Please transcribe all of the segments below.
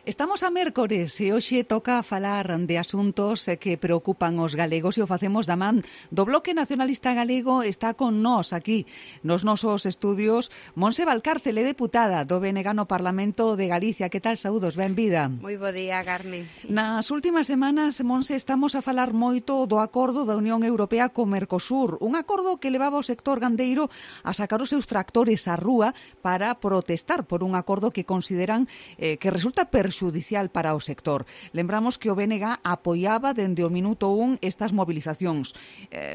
Estamos a mércores e hoxe toca falar de asuntos que preocupan os galegos e o facemos da man do Bloque Nacionalista Galego. Está con nós aquí nos nosos estudios Montse Valcárcel, deputada do BNG no Parlamento de Galicia. Que tal, saúdos, benvida? Moi bo día, Carmen. Nas últimas semanas, Montse, estamos a falar moito do acordo da Unión Europea co Mercosur, un acordo que levaba o sector gandeiro a sacar os seus tractores á rúa para protestar por un acordo que consideran que resulta perxudicial para o sector. Lembramos que o BNG apoiaba dende o minuto 1 estas movilizacións.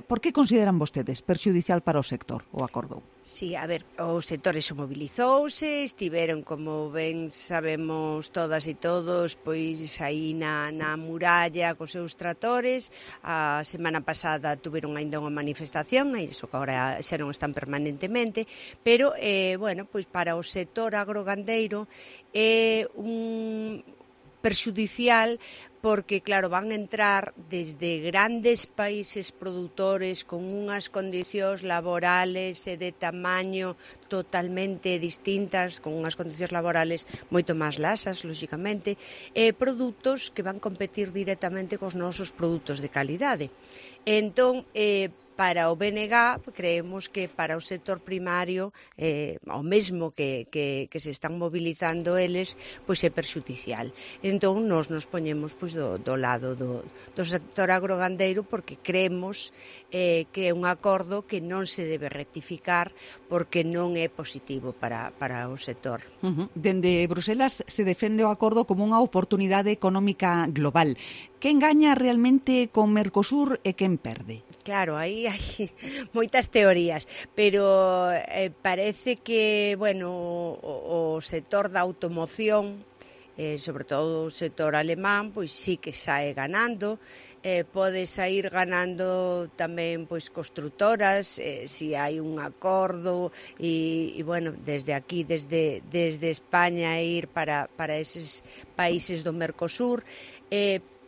Por que consideran vostedes perxudicial para o sector o acordo? Sí, a ver, o sector se mobilizouse, estiveron, como ben sabemos todas e todos, pois aí na muralla cos seus tractores. A semana pasada tuveron aínda unha manifestación, e iso que agora xa non están permanentemente, pero, bueno, pois para o sector agrogandeiro é un perxudicial porque, claro, van entrar desde grandes países produtores con unhas condicións laborales e de tamaño totalmente distintas, con unhas condicións laborales moito máis laxas, lóxicamente, produtos que van competir directamente cos nosos produtos de calidade. Entón, para o BNG, creemos que para o sector primario, o mesmo que se están mobilizando eles, pois é perxudicial. Entón, nos poñemos pois do lado do sector agrogandeiro, porque creemos que é un acordo que non se debe rectificar porque non é positivo para o sector. Dende Bruselas se defende o acordo como unha oportunidade económica global. Quen gaña realmente con Mercosur e quen perde? Claro, aí hai moitas teorías, pero parece que, bueno, o sector da automoción, sobre todo o sector alemán, pois sí que sae ganando. Pode sair ganando tamén pois construtoras, si hai un acordo e bueno, desde aquí, desde España, ir para eses países do Mercosur,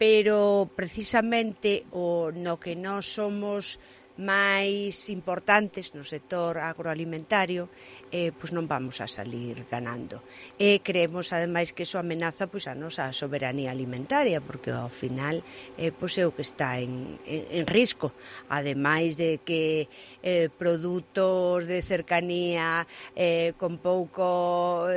pero precisamente no que nós somos máis importantes no sector agroalimentario, pois non vamos a salir ganando. Creemos, ademais, que iso amenaza pois a nosa soberanía alimentaria, porque ao final pois é o que está en risco, ademais de que produtos de cercanía con pouco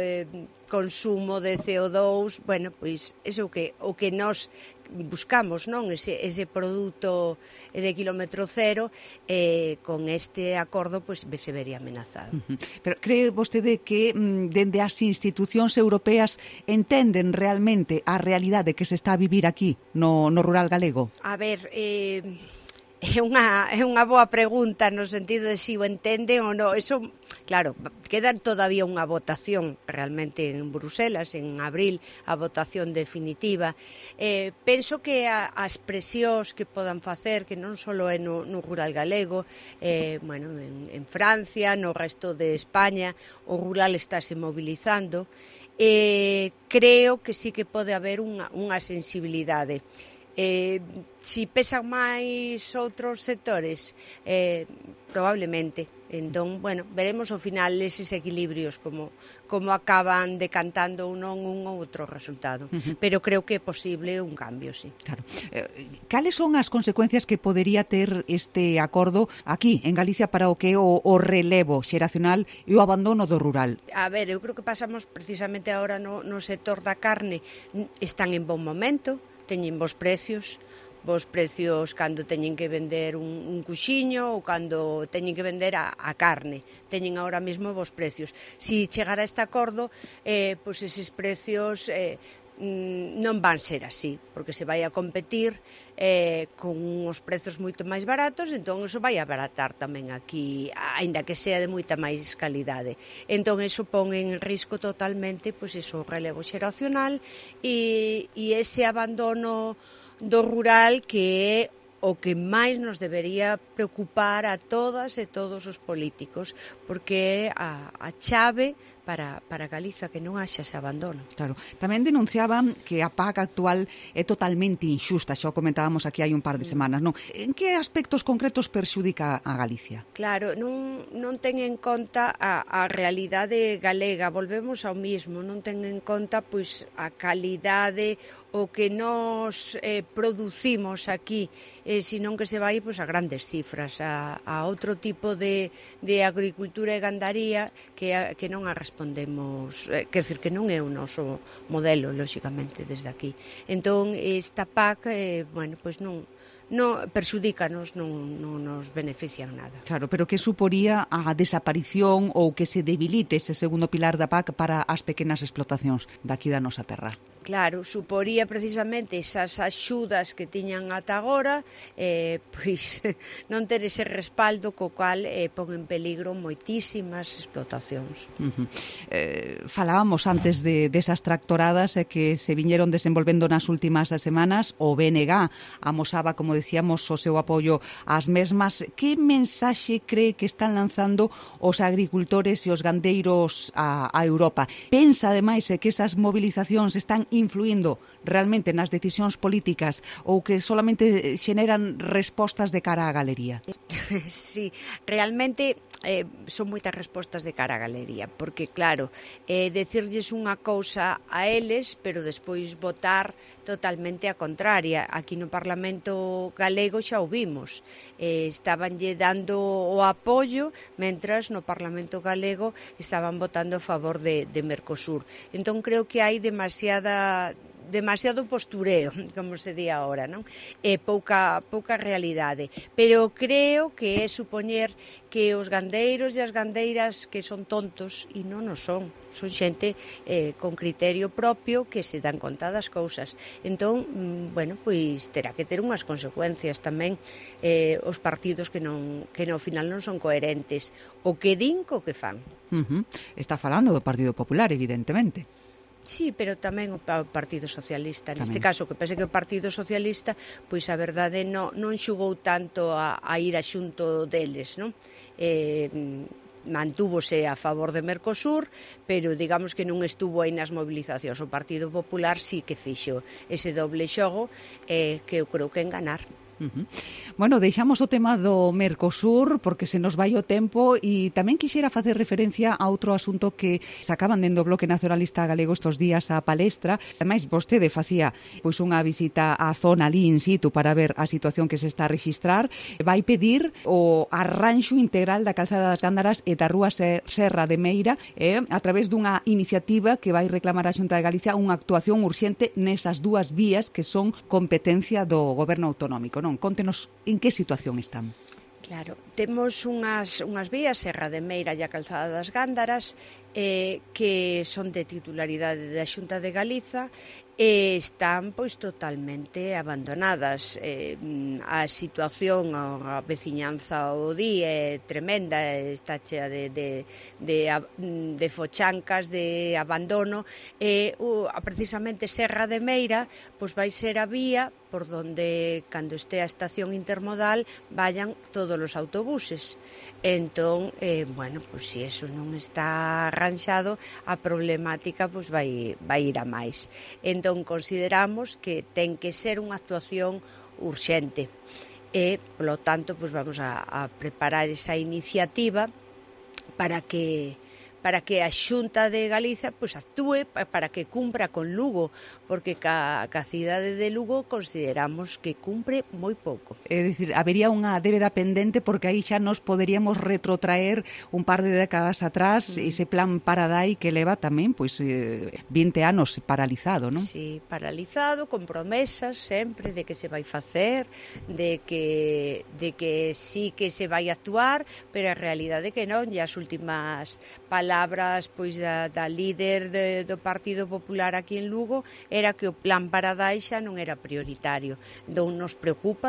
consumo de CO2, bueno, pois é o que nós buscamos, non? Ese produto de quilómetro cero, con este acordo pois se vería amenazado. Pero cree vostede que dende as institucións europeas entenden realmente a realidade que se está a vivir aquí no rural galego? A ver, é unha boa pregunta no sentido de si o entenden ou non. Eso, claro, queda todavía unha votación realmente en Bruselas, en abril, a votación definitiva. Penso que as presións que podan facer, que non só é no rural galego, bueno, en Francia, no resto de España, o rural estáse mobilizando. Creo que sí que pode haber unha sensibilidade. Si pesan máis outros sectores, probablemente. Entón, bueno, veremos ao final eses equilibrios como acaban decantando ou non un ou outro resultado. Pero creo que é posible un cambio, sí. Claro. Cales son as consecuencias que podería ter este acordo aquí, en Galicia, para o que é o relevo xeracional e o abandono do rural? A ver, eu creo que pasamos precisamente agora no sector da carne. Están en bon momento, teñen bons precios cando teñen que vender un cuxiño ou cando teñen que vender a carne. Teñen agora mesmo bons precios. Si chegara a este acordo, pois eses precios non van ser así, porque se vai a competir con uns prezos moito máis baratos, entón iso vai abaratar tamén aquí, aínda que sea de moita máis calidade. Entón iso pon en risco totalmente pois iso, o relevo xeracional e ese abandono do rural, que é o que máis nos debería preocupar a todas e todos os políticos, porque é a chave para Galiza, que non haxa ese abandono. Claro. Tamén denunciaban que a PAC actual é totalmente injusta, xa o comentábamos aquí hai un par de semanas, non? En que aspectos concretos perxudica a Galicia? Claro, non ten en conta a realidade galega, volvemos ao mismo, non ten en conta pois a calidade o que nos producimos aquí, senón que se vai pois a grandes cifras, a outro tipo de agricultura e gandaría que non a respondemos, quer dizer, que non é o noso modelo, lóxicamente, desde aquí. Entón, esta PAC, bueno, pois non perxudícanos, non nos benefician nada. Claro, pero que suporía a desaparición ou que se debilite ese segundo pilar da PAC para as pequenas explotacións daqui da nosa terra? Claro, suporía precisamente esas axudas que tiñan ata agora, pois non ter ese respaldo co cual pon en peligro moitísimas explotacións. Falábamos antes desas tractoradas que se viñeron desenvolvendo nas últimas semanas. O BNG amosaba, como decíamos, o seu apoio ás mesmas. Que mensaxe cree que están lanzando os agricultores e os gandeiros a Europa? Pensa, ademais, que esas movilizacións están influindo realmente nas decisións políticas ou que solamente xeneran respostas de cara á galería? Sí, realmente son moitas respostas de cara á galería, porque claro, decirlles unha cousa a eles, pero despois votar totalmente a contraria. Aquí no Parlamento galego xa o vimos, estabanlle dando o apoio, mentras no Parlamento galego estaban votando a favor de Mercosur. Entón creo que hai demasiado postureo, como se di agora, non? Pouca realidade. Pero creo que é supoñer que os gandeiros e as gandeiras que son tontos, e non o son xente con criterio propio que se dan conta das cousas. Entón, bueno, pois terá que ter unhas consecuencias tamén os partidos que no final non son coherentes o que din co que fan. Está falando do Partido Popular, evidentemente. Sí, pero tamén o Partido Socialista. Neste caso, que pense que o Partido Socialista, pois a verdade non xugou tanto a ir a xunto deles, non? Mantúvose a favor de Mercosur, pero digamos que non estuvo aí nas movilizacións. O Partido Popular sí que fixo ese doble xogo que eu creo que enganar. Bueno, deixamos o tema do Mercosur porque se nos vai o tempo e tamén quixera facer referencia a outro asunto que sacaban dentro do Bloque Nacionalista Galego estos días a palestra. Ademais, vostede facía pois unha visita á zona ali in situ para ver a situación que se está a rexistrar. Vai pedir o arranxo integral da calzada das Gándaras e da Rúa Serra de Meira a través dunha iniciativa que vai reclamar a Xunta de Galicia unha actuación urxente nesas dúas vías que son competencia do Goberno autonómico. Non, contenos en que situación están. Claro, temos unhas vías, Serra de Meira e a Calzada das Gándaras, que son de titularidade da Xunta de Galiza e están pois totalmente abandonadas. A situación, a veciñanza o día é tremenda, está chea de fochancas, de abandono, e precisamente Serra de Meira pois vai ser a vía por donde, cando este a estación intermodal, vayan todos os autobuses. Entón, bueno, pois se eso non está arranxado, a problemática pois vai ir a máis. Entón, consideramos que ten que ser unha actuación urxente e, polo tanto, pois vamos a preparar esa iniciativa para que a Xunta de Galiza pois actúe para que cumpra con Lugo, porque ca cidade de Lugo consideramos que cumpre moi pouco. É dicir, habería unha débeda pendente porque aí xa nos poderíamos retrotraer un par de décadas atrás ese plan Paradai que leva tamén pois 20 anos paralizado, non? Sí, paralizado, con promesas sempre de que se vai facer, de que sí que se vai actuar, pero a realidade que non, e as últimas palabras pois da líder do Partido Popular aquí en Lugo era que o plan Paradai xa non era prioritario. Entón nos preocupa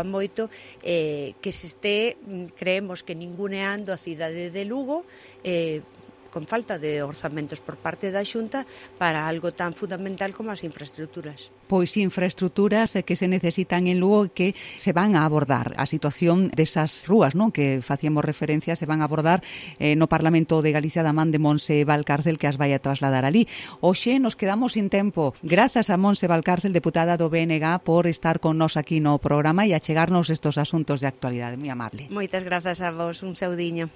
moito que se este, creemos que ninguneando a cidade de Lugo con falta de orzamentos por parte da Xunta para algo tan fundamental como as infraestructuras. Pois infraestructuras que se necesitan en Lugo e que se van a abordar. A situación desas rúas, non, que facíamos referencia, se van a abordar no Parlamento de Galicia da man de Montse Valcárcel, que as vai a trasladar ali. Hoxe nos quedamos sin tempo. Grazas a Montse Valcárcel, deputada do BNG, por estar con nós aquí no programa e achegarnos estos asuntos de actualidade. Moi amable. Moitas grazas a vos, un saudiño.